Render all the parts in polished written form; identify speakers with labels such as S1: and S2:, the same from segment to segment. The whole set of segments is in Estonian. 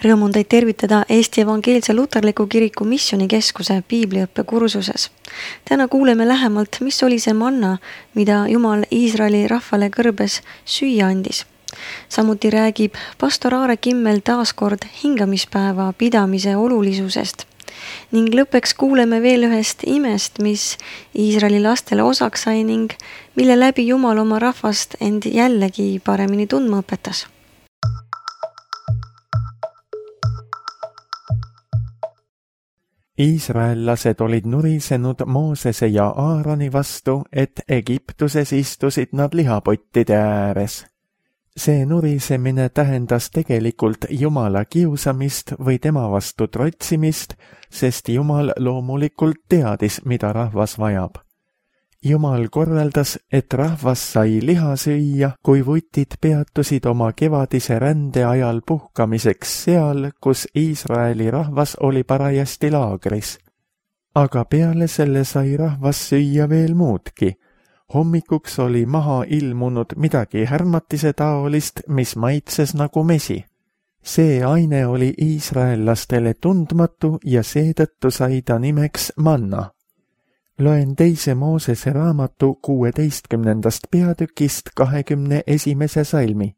S1: Rõõm on teid tervitada Eesti Evangeelse Luterliku Kiriku Missioonikeskuse piibliõppe kursuses. Täna kuuleme lähemalt, mis oli see manna, mida Jumal Iisraeli rahvale kõrbes süüa andis. Samuti räägib pastor Aare Kimmel taaskord hingamispäeva pidamise olulisusest. Ning lõppeks kuuleme veel ühest imest, mis Iisraeli lastele osaks sai ning mille läbi Jumal oma rahvast end jällegi paremini tundma õpetas.
S2: Iisraellased olid nurisenud Moosese ja Aaroni vastu, et Egiptuses istusid nad lihapottide ääres. See nurisemine tähendas tegelikult Jumala kiusamist või tema vastu trotsimist, sest Jumal loomulikult teadis, mida rahvas vajab. Jumal korraldas, et rahvas sai liha süüa, kui vutid peatusid oma kevadise rände ajal puhkamiseks seal, kus Iisraeli rahvas oli parajasti laagris. Aga peale selle sai rahvas süüa veel muudki. Hommikuks oli maha ilmunud midagi härmatise taolist, mis maitses nagu mesi. See aine oli iisraellastele tundmatu ja seetõttu sai ta nimeks manna. Loen 2. Moosese raamatu 16. peatükist 21. salmi.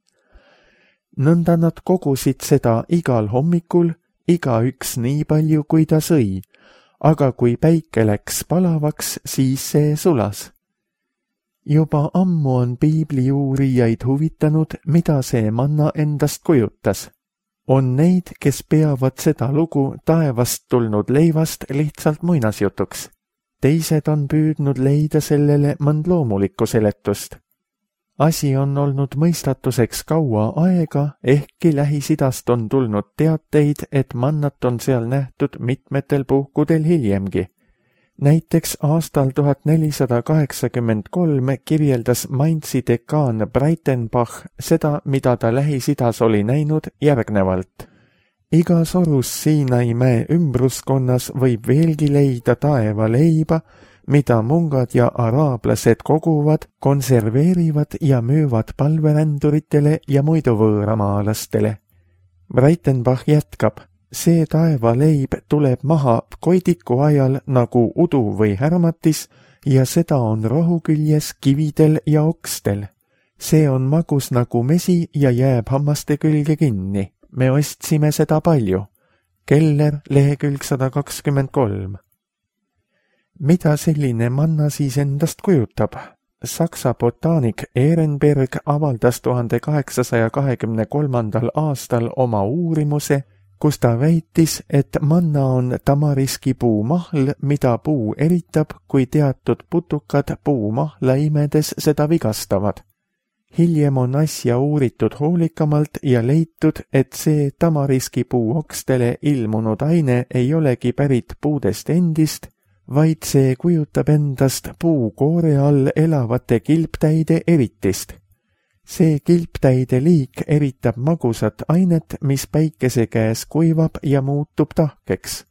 S2: Nõnda nad kogusid seda igal hommikul, igaüks nii palju, kui ta sõi, aga kui päike läks palavaks, siis see sulas. Juba ammu on piibliuurijaid huvitanud, mida see manna endast kujutas. On neid, kes peavad seda lugu taevast tulnud leivast lihtsalt muinasjutuks. Teised on püüdnud leida sellele mõnd loomulikku seletust. Asi on olnud mõistatuseks kaua aega, ehkki Lähis-Idast on tulnud teateid, et mannat on seal nähtud mitmetel puhkudel hiljemgi. Näiteks aastal 1483 kirjeldas Mainzi dekaan Breitenbach seda, mida ta Lähis-Idas oli näinud järgnevalt. Igas orus Siinai mäe ümbruskonnas võib veelgi leida taeva leiba, mida mungad ja araablased koguvad, konserveerivad ja müüvad palveränduritele ja muidu võõramaalastele. Breitenbach jätkab, see taeva leib tuleb maha koidiku ajal nagu udu või härmatis ja seda on rohu küljes kividel ja okstel. See on magus nagu mesi ja jääb hammaste külge kinni. Me ostsime seda palju. Keller, lehekülg 123. Mida selline manna siis endast kujutab? Saksa botaanik Ehrenberg avaldas 1823. aastal oma uurimuse, kus ta väitis, et manna on tamariskipuu mahl, mida puu eritab, kui teatud putukad puumahla imedes seda vigastavad. Hiljem on asja uuritud hoolikamalt ja leitud, et see tamariskipuu okstele ilmunud aine ei olegi pärit puudest endist, vaid see kujutab endast puukoore all elavate kilptäide eritist. See kilptäide liik eritab magusat ainet, mis päikese käes kuivab ja muutub tahkeks.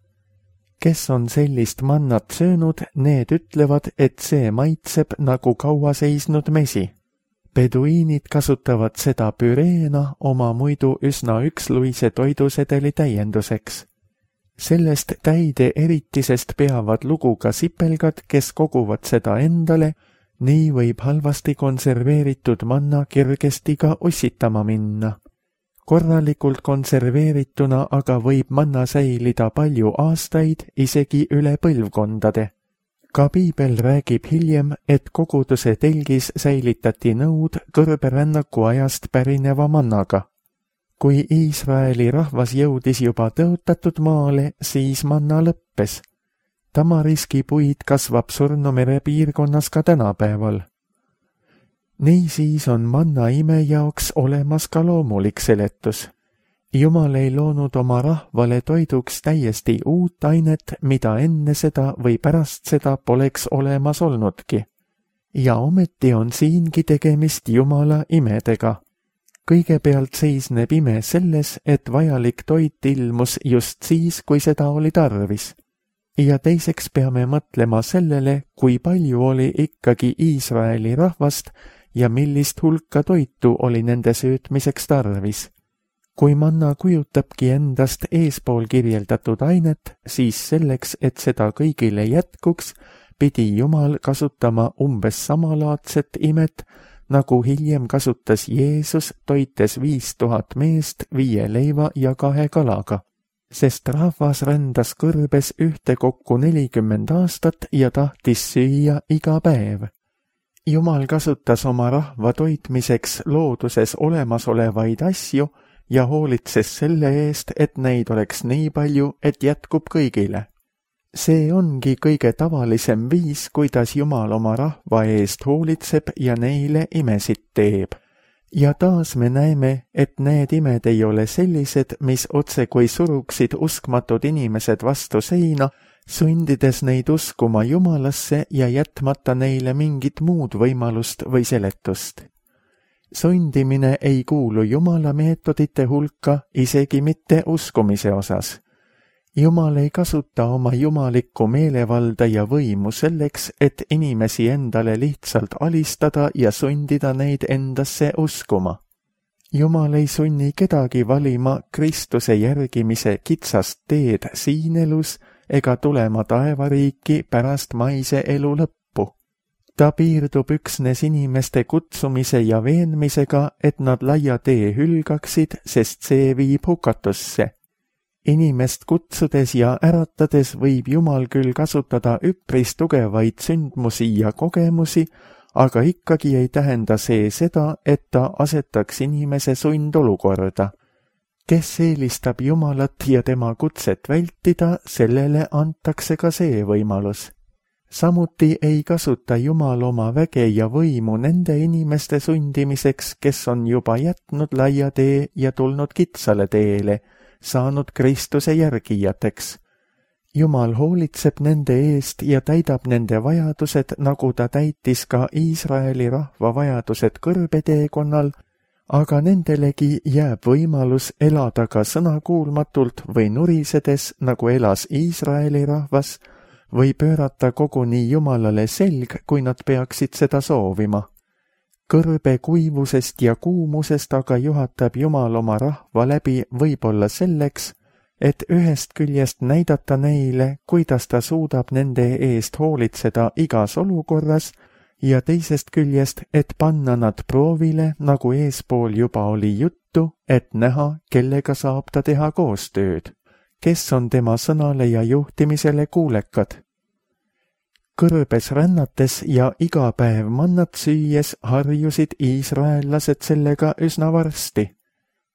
S2: Kes on sellist mannat söönud, need ütlevad, et see maitseb nagu kaua seisnud mesi. Peduiinid kasutavad seda püreena oma muidu üsna üksluise toidusedeli täienduseks. Sellest täide eritisest peavad lugu ka sipelgad, kes koguvad seda endale, nii võib halvasti konserveeritud manna kergesti ka ussitama minna. Korralikult konserveerituna aga võib manna säilida palju aastaid, isegi üle põlvkondade. Ka piibel räägib hiljem, et koguduse telgis säilitati nõud kõrberännaku ajast pärineva mannaga. Kui Iisraeli rahvas jõudis juba tõotatud maale, siis manna lõppes. Tamariskipuid kasvab Surnumere piirkonnas ka tänapäeval. Niisiis on manna ime jaoks olemas ka loomulik seletus. Jumal ei loonud oma rahvale toiduks täiesti uut ainet, mida enne seda või pärast seda poleks olemas olnudki. Ja ometi on siingi tegemist Jumala imedega. Kõigepealt seisneb ime selles, et vajalik toit ilmus just siis, kui seda oli tarvis. Ja teiseks peame mõtlema sellele, kui palju oli ikkagi Iisraeli rahvast ja millist hulka toitu oli nende söötmiseks tarvis. Kui manna kujutabki endast eespool kirjeldatud ainet, siis selleks, et seda kõigile jätkuks, pidi Jumal kasutama umbes samalaadset imet, nagu hiljem kasutas Jeesus, toites 5000 meest 5 leiva ja 2 kalaga. Sest rahvas rändas kõrbes ühtekokku 40 aastat ja tahtis süüa iga päev. Jumal kasutas oma rahva toitmiseks looduses olemasolevaid asju ja hoolitses selle eest, et neid oleks nii palju, et jätkub kõigile. See ongi kõige tavalisem viis, kuidas Jumal oma rahva eest hoolitseb ja neile imesid teeb. Ja taas me näeme, et need imed ei ole sellised, mis otsekui suruksid uskmatud inimesed vastu seina, sundides neid uskuma Jumalasse ja jätmata neile mingit muud võimalust või seletust. Sundimine ei kuulu Jumala meetodite hulka, isegi mitte uskumise osas. Jumal ei kasuta oma jumalikku meelevalda ja võimu selleks, et inimesi endale lihtsalt alistada ja sundida neid endasse uskuma. Jumal ei sunni kedagi valima Kristuse järgimise kitsast teed siin elus ega tulema taevariiki pärast maise elu lõppu. Ta piirdub üksnes inimeste kutsumise ja veenmisega, et nad laia tee hülgaksid, sest see viib hukatusse. Inimest kutsudes ja äratades võib Jumal küll kasutada üpris tugevaid sündmusi ja kogemusi, aga ikkagi ei tähenda see seda, et ta asetaks inimese sundolukorda. Kes eelistab Jumalat ja tema kutset vältida, sellele antakse ka see võimalus. Samuti ei kasuta Jumal oma väge ja võimu nende inimeste sundimiseks, kes on juba jätnud laia tee ja tulnud kitsale teele, saanud Kristuse järgijateks. Jumal hoolitseb nende eest ja täidab nende vajadused, nagu ta täitis ka Iisraeli rahva vajadused kõrbeteekonnal, aga nendelegi jääb võimalus elada ka sõnakuulmatult või nurisedes, nagu elas Iisraeli rahvas, või pöörata koguni Jumalale selg, kui nad peaksid seda soovima. Kõrbe kuivusest ja kuumusest aga juhatab Jumal oma rahva läbi võib-olla selleks, et ühest küljest näidata neile, kuidas ta suudab nende eest hoolitseda igas olukorras, ja teisest küljest, et panna nad proovile, nagu eespool juba oli juttu, et näha, kellega saab ta teha koostööd, kes on tema sõnale ja juhtimisele kuulekad. Kõrbes rännates ja iga päev mannat süües harjusid iisraellased sellega üsna varsti.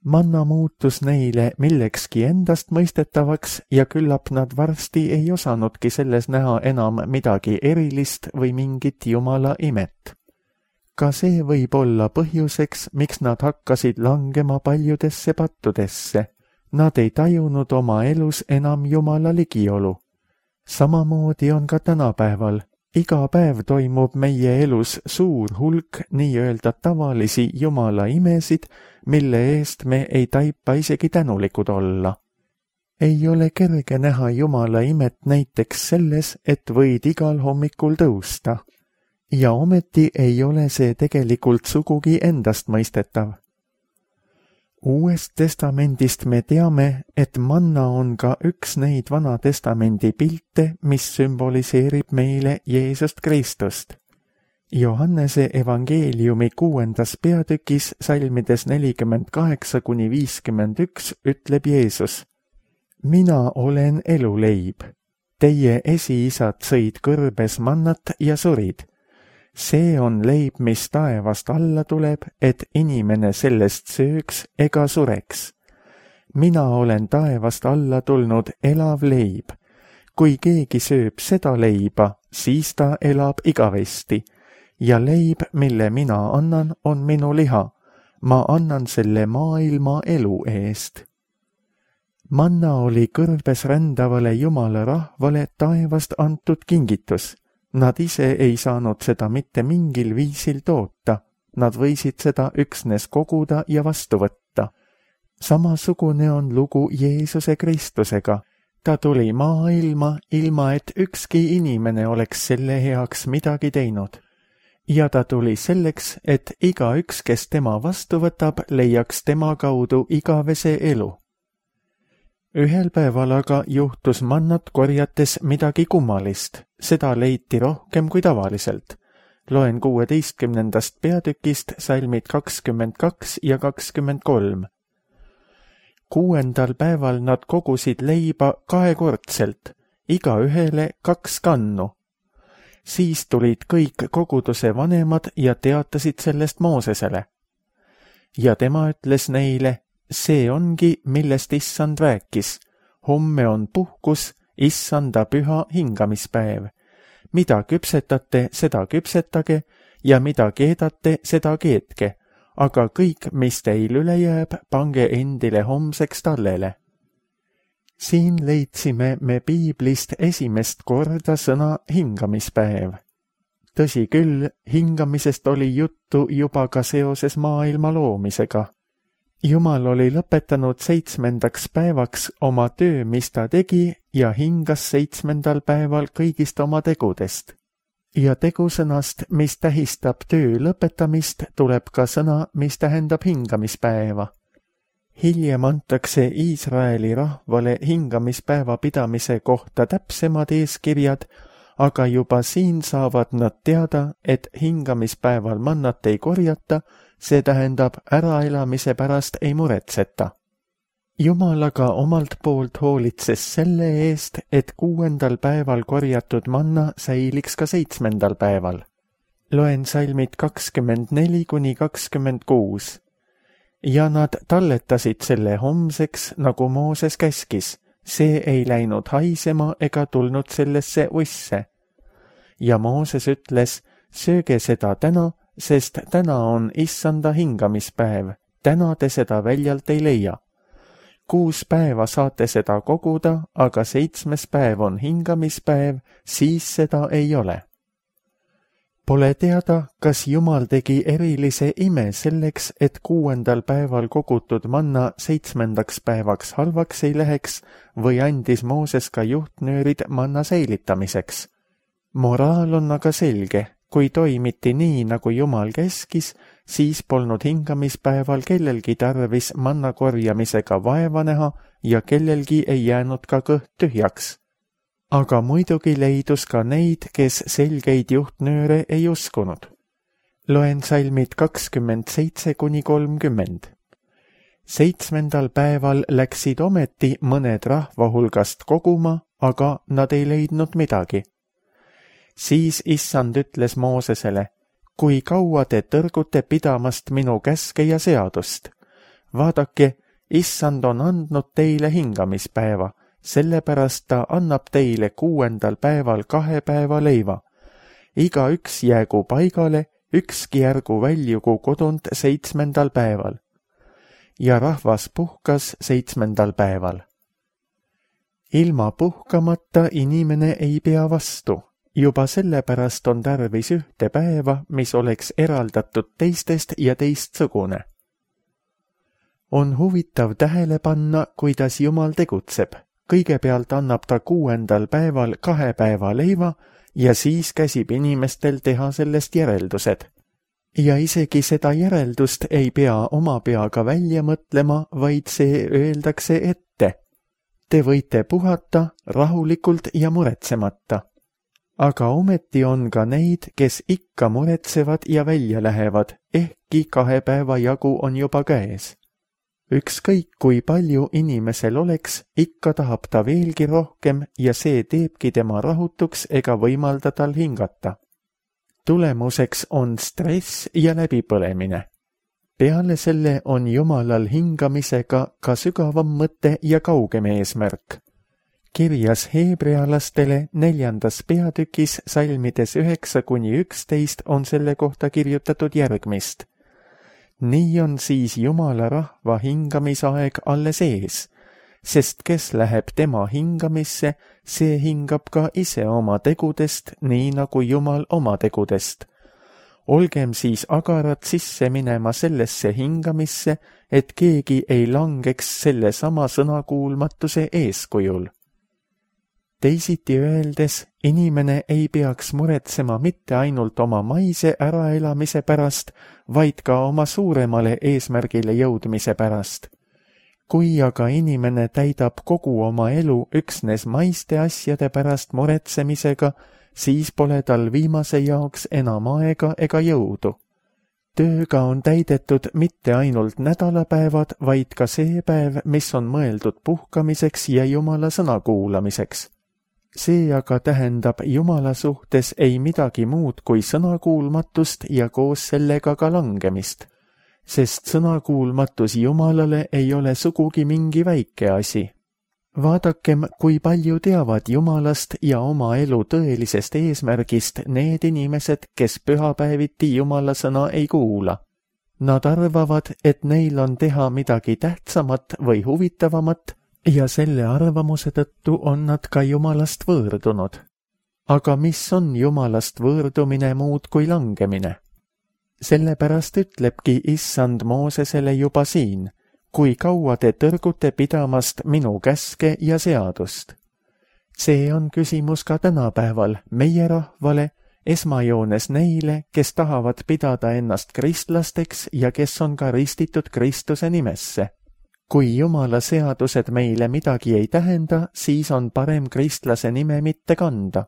S2: Manna muutus neile millekski endast mõistetavaks ja küllap nad varsti ei osanudki selles näha enam midagi erilist või mingit Jumala imet. Ka see võib olla põhjuseks, miks nad hakkasid langema paljudesse pattudesse. Nad ei tajunud oma elus enam Jumala ligiolu. Samamoodi on ka tänapäeval. Iga päev toimub meie elus suur hulk nii-öelda tavalisi Jumala imesid, mille eest me ei taipa isegi tänulikud olla. Ei ole kerge näha Jumala imet näiteks selles, et võid igal hommikul tõusta. Ja ometi ei ole see tegelikult sugugi endastmõistetav. Uuest testamendist me teame, et manna on ka üks neid Vana Testamendi pilte, mis sümboliseerib meile Jeesust Kristust. Johannese evangeeliumi 6. peatükis salmides 48–51 ütleb Jeesus: Mina olen eluleib. Teie esiisad sõid kõrbes mannat ja surid. See on leib, mis taevast alla tuleb, et inimene sellest sööks ega sureks. Mina olen taevast alla tulnud elav leib. Kui keegi sööb seda leiba, siis ta elab igavesti. Ja leib, mille mina annan, on minu liha. Ma annan selle maailma elu eest. Manna oli kõrbes rändavale Jumala rahvale taevast antud kingitus. Nad ise ei saanud seda mitte mingil viisil toota, nad võisid seda üksnes koguda ja vastu võtta. Samasugune on lugu Jeesuse Kristusega. Ta tuli maailma, ilma et ükski inimene oleks selle heaks midagi teinud. ja ta tuli selleks, et igaüks, kes tema vastu võtab, leiaks tema kaudu igavese elu. Ühel päeval aga juhtus mannat korjates midagi kummalist, seda leiti rohkem kui tavaliselt. Loen 16. peatükist salmid 22 ja 23. 6. päeval nad kogusid leiba kahekordselt, igaühele 2 kannu. Siis tulid kõik koguduse vanemad ja teatasid sellest Moosesele. Ja tema ütles neile, see ongi, millest Issand rääkis. Homme on puhkus, Issanda püha hingamispäev. Mida küpsetate, seda küpsetage, ja mida keedate, seda keetke, aga kõik, mis teil üle jääb, pange endile homseks tallele. Siin leidsime me piiblist esimest korda sõna hingamispäev. Tõsi küll, hingamisest oli juttu juba ka seoses maailma loomisega. Jumal oli lõpetanud 7. päevaks oma töö, mis ta tegi, ja hingas 7. päeval kõigist oma tegudest. Ja tegusõnast, mis tähistab töö lõpetamist, tuleb ka sõna, mis tähendab hingamispäeva. Hiljem antakse Iisraeli rahvale hingamispäeva pidamise kohta täpsemad eeskirjad, aga juba siin saavad nad teada, et hingamispäeval mannat ei korjata, see tähendab äraelamise pärast ei muretseta. Jumal aga omalt poolt hoolitses selle eest, et 6. päeval korjatud manna säiliks ka 7. päeval. Loen salmid 24-26. Ja nad talletasid selle homseks, nagu Mooses käskis. See ei läinud haisema ega tulnud sellesse usse. Ja Mooses ütles, sööge seda täna, sest täna on Issanda hingamispäev. Täna te seda väljalt ei leia. 6 päeva saate seda koguda, aga 7. päev on hingamispäev, siis seda ei ole. Pole teada, kas Jumal tegi erilise ime selleks, et 6. päeval kogutud manna 7. päevaks halvaks ei läheks või andis Mooses ka juhtnöörid manna säilitamiseks. Moraal on aga selge, kui toimiti nii, nagu Jumal käskis, siis polnud hingamispäeval kellelgi tarvis manna korjamisega vaeva näha ja kellelgi ei jäänud ka kõht tühjaks. Aga muidugi leidus ka neid, kes selgeid juhtnööre ei uskunud. Loen salmid 27-30. 7. päeval läksid ometi mõned rahva hulgast koguma, aga nad ei leidnud midagi. Siis Issand ütles Moosesele, kui kaua te tõrgute pidamast minu käske ja seadust? Vaadake, Issand on andnud teile hingamispäeva, sellepärast ta annab teile 6. päeval 2 päeva leiva. Igaüks jäägu paigale, ükski ärgu väljugu kodunt 7. päeval. Ja rahvas puhkas 7. päeval. Ilma puhkamata inimene ei pea vastu. Juba sellepärast on tarvis ühte päeva, mis oleks eraldatud teistest ja teistsugune. On huvitav tähele panna, kuidas Jumal tegutseb. Kõigepealt annab ta 6. päeval 2 päeva leiva ja siis käsib inimestel teha sellest järeldused. Ja isegi seda järeldust ei pea oma peaga välja mõtlema, vaid see öeldakse ette. Te võite puhata rahulikult ja muretsemata. Aga ometi on ka neid, kes ikka muretsevad ja välja lähevad, ehkki 2 päeva jagu on juba käes. Ükskõik kui palju inimesel oleks, ikka tahab ta veelgi rohkem ja see teebki tema rahutuks ega võimalda tal hingata. Tulemuseks on stress ja läbipõlemine. Peale selle on Jumalal hingamisega ka sügavam mõte ja kaugem eesmärk. Kirjas heebrealastele 4. peatükis salmides 9-11 on selle kohta kirjutatud järgmist. Nii on siis Jumala rahva hingamisaeg alles ees, sest kes läheb tema hingamisse, see hingab ka ise oma tegudest, nii nagu Jumal oma tegudest. Olgem siis agarad sisse minema sellesse hingamisse, et keegi ei langeks selle sama sõnakuulmatuse eeskujul. Teisiti öeldes, inimene ei peaks muretsema mitte ainult oma maise äraelamise pärast, vaid ka oma suuremale eesmärgile jõudmise pärast. Kui aga inimene täidab kogu oma elu üksnes maiste asjade pärast muretsemisega, siis pole tal viimase jaoks enam aega ega jõudu. Tööga on täidetud mitte ainult nädalapäevad, vaid ka see päev, mis on mõeldud puhkamiseks ja Jumala sõna kuulamiseks. See aga tähendab Jumala suhtes ei midagi muud kui sõnakuulmatust ja koos sellega ka langemist, sest sõnakuulmatus Jumalale ei ole sugugi mingi väike asi. Vaadakem, kui palju teavad Jumalast ja oma elu tõelisest eesmärgist need inimesed, kes pühapäeviti Jumala sõna ei kuula. Nad arvavad, et neil on teha midagi tähtsamat või huvitavamat ja selle arvamuse tõttu on nad ka Jumalast võõrdunud. Aga mis on Jumalast võõrdumine muud kui langemine? Sellepärast ütlebki Issand Moosesele juba siin, kui kaua te tõrgute pidamast minu käske ja seadust. See on küsimus ka tänapäeval meie rahvale, esmajoones neile, kes tahavad pidada ennast kristlasteks ja kes on ka ristitud Kristuse nimesse. Kui Jumala seadused meile midagi ei tähenda, siis on parem kristlase nime mitte kanda.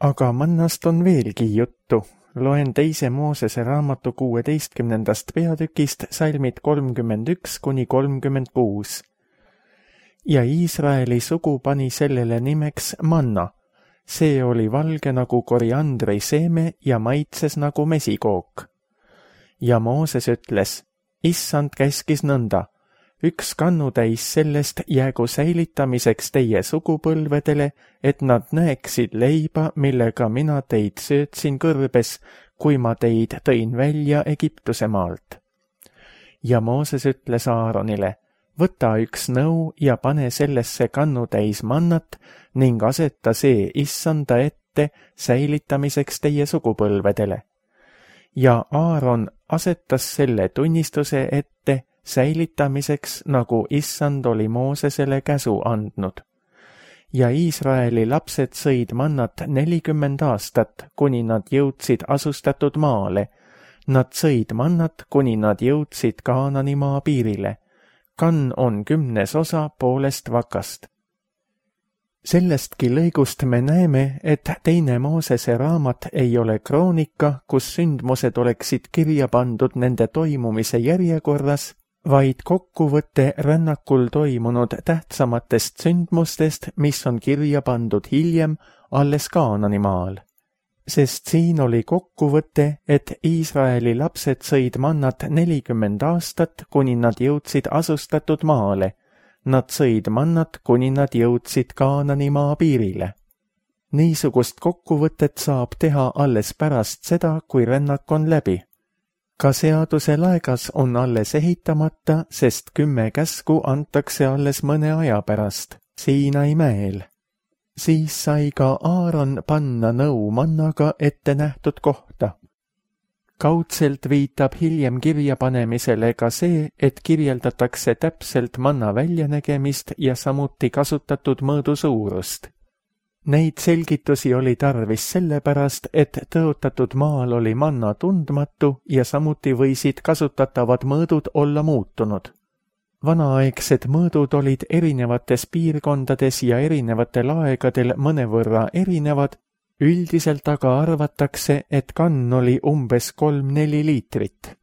S2: Aga mannast on veelgi juttu. Loen 2. Moosese raamatu 16. peatükist salmid 31–36. Ja Iisraeli sugu pani sellele nimeks manna. See oli valge nagu koriandri seeme ja maitses nagu mesikook. Ja Mooses ütles, Issand käskis nõnda, üks kannutäis sellest jäägu säilitamiseks teie sugupõlvedele, et nad näeksid leiba, millega mina teid söötsin kõrbes, kui ma teid tõin välja Egiptuse maalt. Ja Mooses ütles Aaronile, võta üks nõu ja pane sellesse kannutäis mannat ning aseta see Issanda ette säilitamiseks teie sugupõlvedele. Ja Aaron asetas selle tunnistuse ette säilitamiseks, nagu Issand oli Moosesele käsu andnud. Ja Iisraeli lapsed sõid mannat 40 aastat, kuni nad jõudsid asustatud maale. Nad sõid mannat, kuni nad jõudsid Kaanani maa piirile. Kann on 10% poolest vakast. Sellestki lõigust me näeme, et 2. Moosese raamat ei ole kroonika, kus sündmused oleksid kirja pandud nende toimumise järjekorras, vaid kokkuvõte rännakul toimunud tähtsamatest sündmustest, mis on kirja pandud hiljem alles Kaanani maal. Sest siin oli kokkuvõte, et Iisraeli lapsed sõid mannat 40 aastat, kuni nad jõudsid asustatud maale. Nad sõid mannat, kuni nad jõudsid Kaanani maa piirile. Niisugust kokkuvõtet saab teha alles pärast seda, kui rännak on läbi. Ka seaduse laegas on alles ehitamata, sest 10 käsku antakse alles mõne aja pärast, Siinai mäel. Siis sai ka Aaron panna nõu mannaga ette nähtud kohta. Kaudselt viitab hiljem kirjapanemisele ka see, et kirjeldatakse täpselt manna väljanägemist ja samuti kasutatud mõõdu suurust. Neid selgitusi oli tarvis sellepärast, et tõotatud maal oli manna tundmatu ja samuti võisid kasutatavad mõõdud olla muutunud. Vanaaegsed mõõdud olid erinevates piirkondades ja erinevatel aegadel mõnevõrra erinevad, üldiselt aga arvatakse, et kann oli umbes 3–4 liitrit.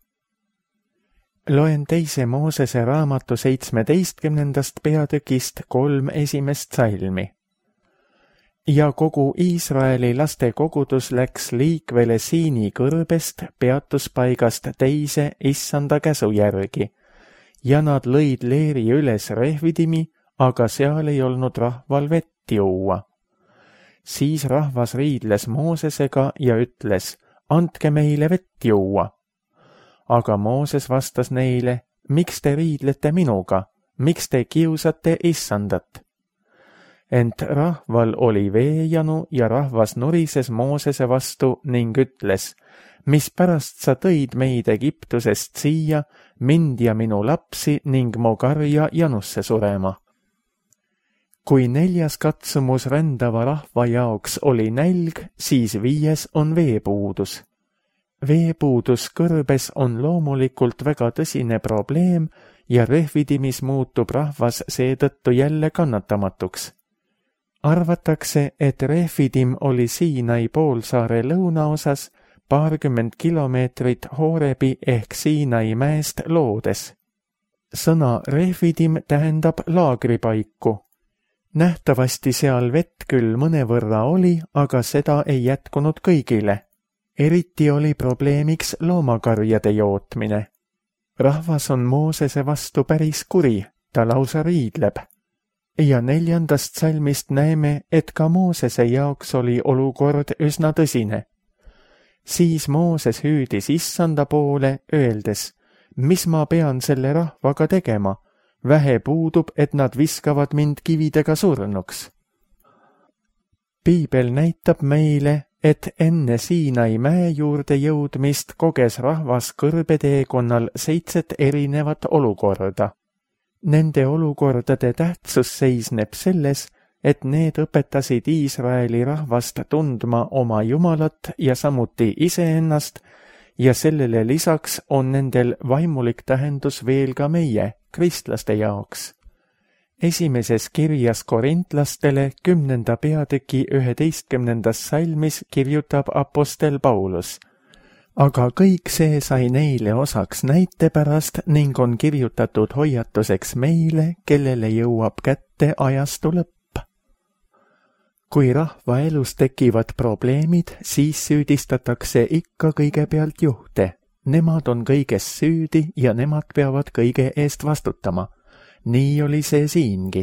S2: Loen 2. Moosese raamatu 17. peatükist 3 esimest salmi. Ja kogu Iisraeli laste kogudus läks liikvele Siini kõrbest peatuspaigast teise Issanda käsu järgi, ja nad lõid leeri üles Rehvidimi, aga seal ei olnud rahval vett juua. Siis rahvas riidles Moosesega ja ütles, andke meile vett juua. Aga Mooses vastas neile, miks te riidlete minuga, miks te kiusate Issandat? Ent rahval oli veejanu ja rahvas nurises Moosese vastu ning ütles, mispärast sa tõid meid Egiptusest siia, mind ja minu lapsi ning mu karja janusse surema? Kui 4. katsumus rändava rahva jaoks oli nälg, siis 5. on veepuudus. Veepuudus kõrbes on loomulikult väga tõsine probleem ja Refidimis muutub rahvas seetõttu jälle kannatamatuks. Arvatakse, et Refidim oli Siinai poolsaare lõunaosas 20 kilomeetrit Horebi ehk Siinai mäest loodes. Sõna Refidim tähendab laagripaiku. Nähtavasti seal vett küll mõnevõrra oli, aga seda ei jätkunud kõigile. Eriti oli probleemiks loomakarjade jootmine. Rahvas on Moosese vastu päris kuri, ta lausa riidleb. Ja 4. salmist näeme, et ka Moosese jaoks oli olukord üsna tõsine. Siis Mooses hüüdis Issanda poole, öeldes, mis ma pean selle rahvaga tegema? Vähe puudub, et nad viskavad mind kividega surnuks. Piibel näitab meile, et enne Siinai mäe juurde jõudmist koges rahvas kõrbeteekonnal 7 erinevat olukorda. Nende olukordade tähtsus seisneb selles, et need õpetasid Iisraeli rahvast tundma oma Jumalat ja samuti iseennast ja sellele lisaks on nendel vaimulik tähendus veel ka meie, kristlaste jaoks. Esimeses kirjas korintlastele 10. peatüki 11. salmis kirjutab apostel Paulus. Aga kõik see sai neile osaks näite pärast ning on kirjutatud hoiatuseks meile, kellele jõuab kätte ajastu lõpp. Kui rahva elus tekivad probleemid, siis süüdistatakse ikka kõigepealt juhte. Nemad on kõiges süüdi ja nemad peavad kõige eest vastutama. Nii oli see siingi.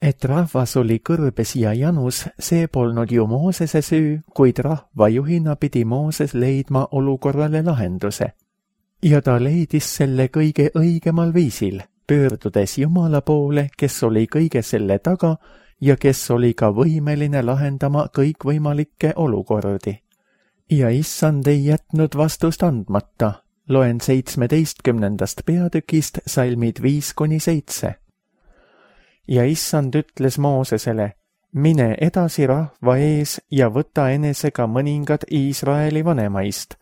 S2: Et rahvas oli kõrbes ja janus, see polnud ju Moosese süü, kuid rahva juhina pidi Mooses leidma olukorrale lahenduse. Ja ta leidis selle kõige õigemal viisil, pöördudes Jumala poole, kes oli kõige selle taga ja kes oli ka võimeline lahendama kõikvõimalikke olukordi. Ja Issand ei jätnud vastust andmata. Loen 17. peatükist salmid 5-7. Ja Issand ütles Moosesele, mine edasi rahva ees ja võta enesega mõningad Iisraeli vanemaist.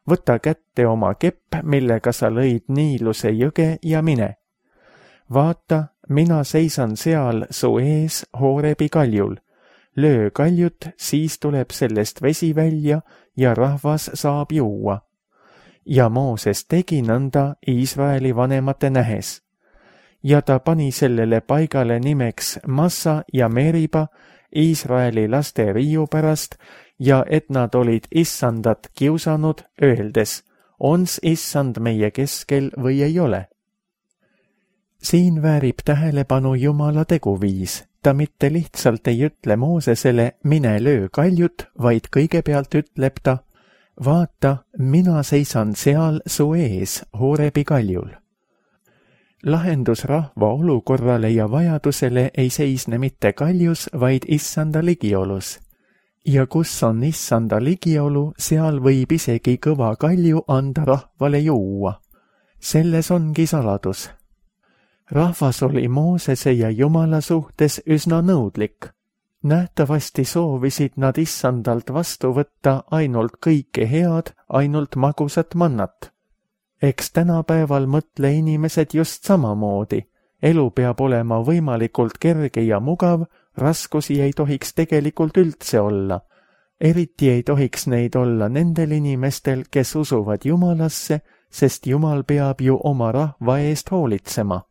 S2: Võta kätte oma kepp, millega sa lõid Niiluse jõge ja mine. Vaata, mina seisan seal su ees Horebi kaljul. Löö kaljut, siis tuleb sellest vesi välja ja rahvas saab juua. Ja Mooses tegi nõnda Iisraeli vanemate nähes. Ja ta pani sellele paigale nimeks Massa ja Meriba Iisraeli laste riiu pärast ja et nad olid Issandat kiusanud, öeldes, ons Issand meie keskel või ei ole. Siin väärib tähelepanu Jumala teguviis. Ta mitte lihtsalt ei ütle Moosesele, mine löö kaljut, vaid kõigepealt ütleb ta, vaata, mina seisan seal su ees Horebi kaljul. Lahendus rahva olukorrale ja vajadusele ei seisne mitte kaljus, vaid Issanda ligiolus. Ja kus on Issanda ligiolu, seal võib isegi kõva kalju anda rahvale juua. Selles ongi saladus. Rahvas oli Moosese ja Jumala suhtes üsna nõudlik. Nähtavasti soovisid nad Issandalt vastu võtta ainult kõike head, ainult magusat mannat. Eks tänapäeval mõtle inimesed just samamoodi. Elu peab olema võimalikult kerge ja mugav, raskusi ei tohiks tegelikult üldse olla. Eriti ei tohiks neid olla nendel inimestel, kes usuvad Jumalasse, sest Jumal peab ju oma rahva eest hoolitsema.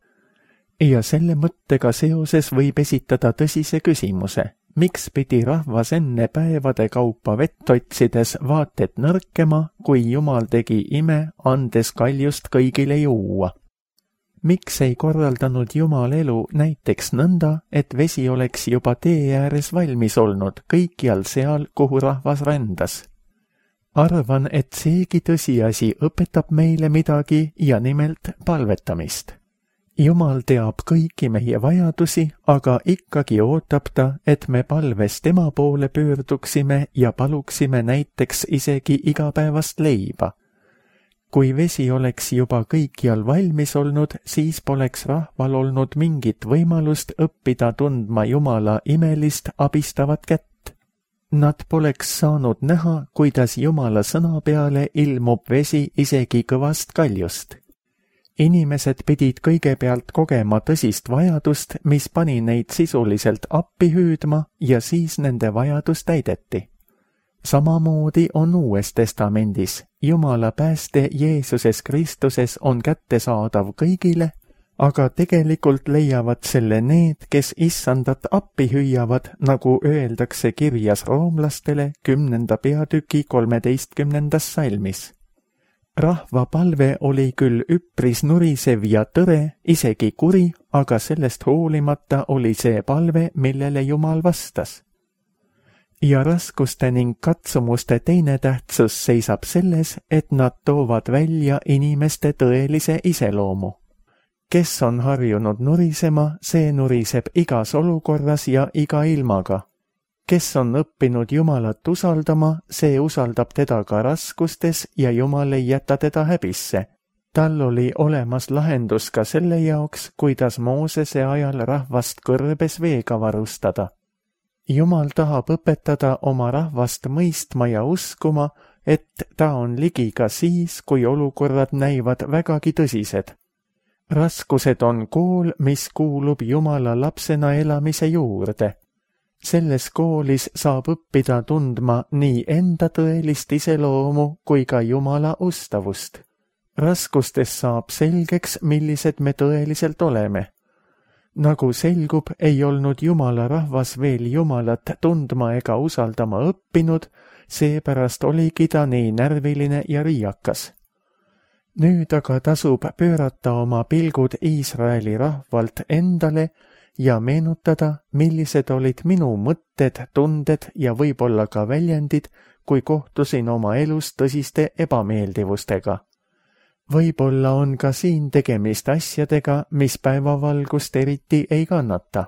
S2: Ja selle mõttega seoses võib esitada tõsise küsimuse. Miks pidi rahvas enne päevade kaupa vett otsides vaated nõrkema, kui Jumal tegi ime, andes kaljust kõigile juua? Miks ei korraldanud Jumal elu näiteks nõnda, et vesi oleks juba tee ääres valmis olnud kõikjal seal, kuhu rahvas rändas? Arvan, et seegi tõsiasi õpetab meile midagi ja nimelt palvetamist. Jumal teab kõiki meie vajadusi, aga ikkagi ootab ta, et me palves tema poole pöörduksime ja paluksime näiteks isegi igapäevast leiba. Kui vesi oleks juba kõikjal valmis olnud, siis poleks rahval olnud mingit võimalust õppida tundma Jumala imelist abistavat kätt. Nad poleks saanud näha, kuidas Jumala sõna peale ilmub vesi isegi kõvast kaljust. Inimesed pidid kõigepealt kogema tõsist vajadust, mis pani neid sisuliselt appi hüüdma ja siis nende vajadus täideti. Samamoodi on Uues Testamendis. Jumala pääste Jeesuses Kristuses on kättesaadav kõigile, aga tegelikult leiavad selle need, kes issandat appi hüüavad, nagu öeldakse kirjas roomlastele 10. peatüki 13. salmis. Rahva palve oli küll üpris nurisev ja tõre, isegi kuri, aga sellest hoolimata oli see palve, millele Jumal vastas. Ja raskuste ning katsumuste teine tähtsus seisab selles, et nad toovad välja inimeste tõelise iseloomu. Kes on harjunud nurisema, see nuriseb igas olukorras ja iga ilmaga. Kes on õppinud Jumalat usaldama, see usaldab teda ka raskustes ja Jumal ei jäta teda häbisse. Tal oli olemas lahendus ka selle jaoks, kuidas Moosese ajal rahvast kõrbes veega varustada. Jumal tahab õpetada oma rahvast mõistma ja uskuma, et ta on ligi ka siis, kui olukorrad näivad vägagi tõsised. Raskused on kool, mis kuulub Jumala lapsena elamise juurde. Selles koolis saab õppida tundma nii enda tõelist iseloomu kui ka Jumala ustavust. Raskustes saab selgeks, millised me tõeliselt oleme. Nagu selgub, ei olnud Jumala rahvas veel Jumalat tundma ega usaldama õppinud, seepärast oligi ta nii närviline ja riiakas. Nüüd aga tasub pöörata oma pilgud Iisraeli rahvalt endale ja meenutada, millised olid minu mõtted, tunded ja võib-olla ka väljendid, kui kohtusin oma elus tõsiste ebameeldivustega. Võib-olla on ka siin tegemist asjadega, mis päevavalgust eriti ei kannata.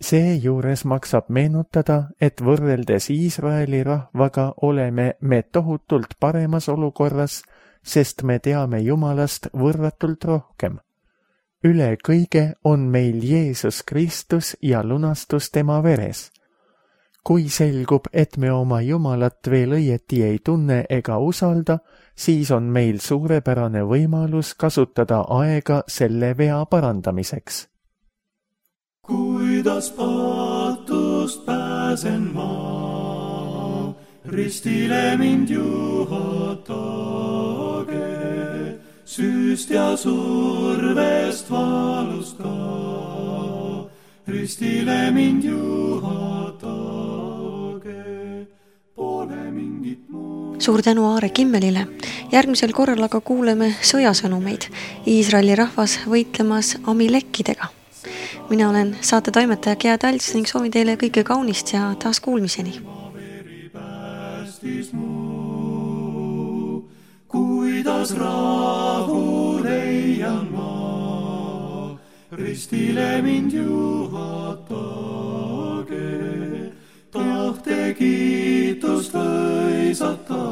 S2: Seejuures maksab meenutada, et võrreldes Iisraeli rahvaga oleme me tohutult paremas olukorras, sest me teame Jumalast võrratult rohkem. Üle kõige on meil Jeesus Kristus ja lunastus tema veres. Kui selgub, et me oma Jumalat veel õieti ei tunne ega usalda, siis on meil suurepärane võimalus kasutada aega selle vea parandamiseks.
S3: Kuidas patust pääsen ma, ristile mind juhatage, süüst ja survest valust ka, ristile mind juhatage, pole mingit muud.
S1: Suur tänu Aare Kimmelile. Järgmisel korral aga kuuleme sõjasõnumeid. Iisraeli rahvas võitlemas Amilekkidega. Mina olen saate toimetaja Gea Talts ning soovin teile kõike kaunist ja taas kuulmiseni.
S3: Kuidas rahu leian ma, ristile mind juhatage, tahte kiitust lõisata,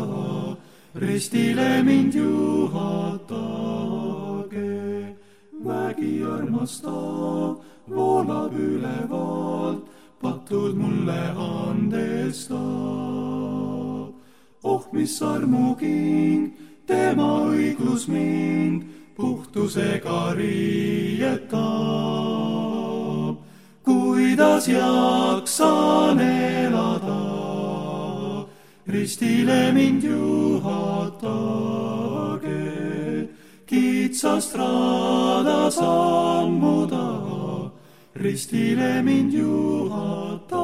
S3: ristile mind juhatage. Vägi armastav voolab ülevalt, patud mulle andestab. Oh, mis armuking, tema õiglus mind puhtusega riietab. Kuidas jaksan elada, ristile mind juhatage, kitsast raada sammuda, ristile mind juhatage.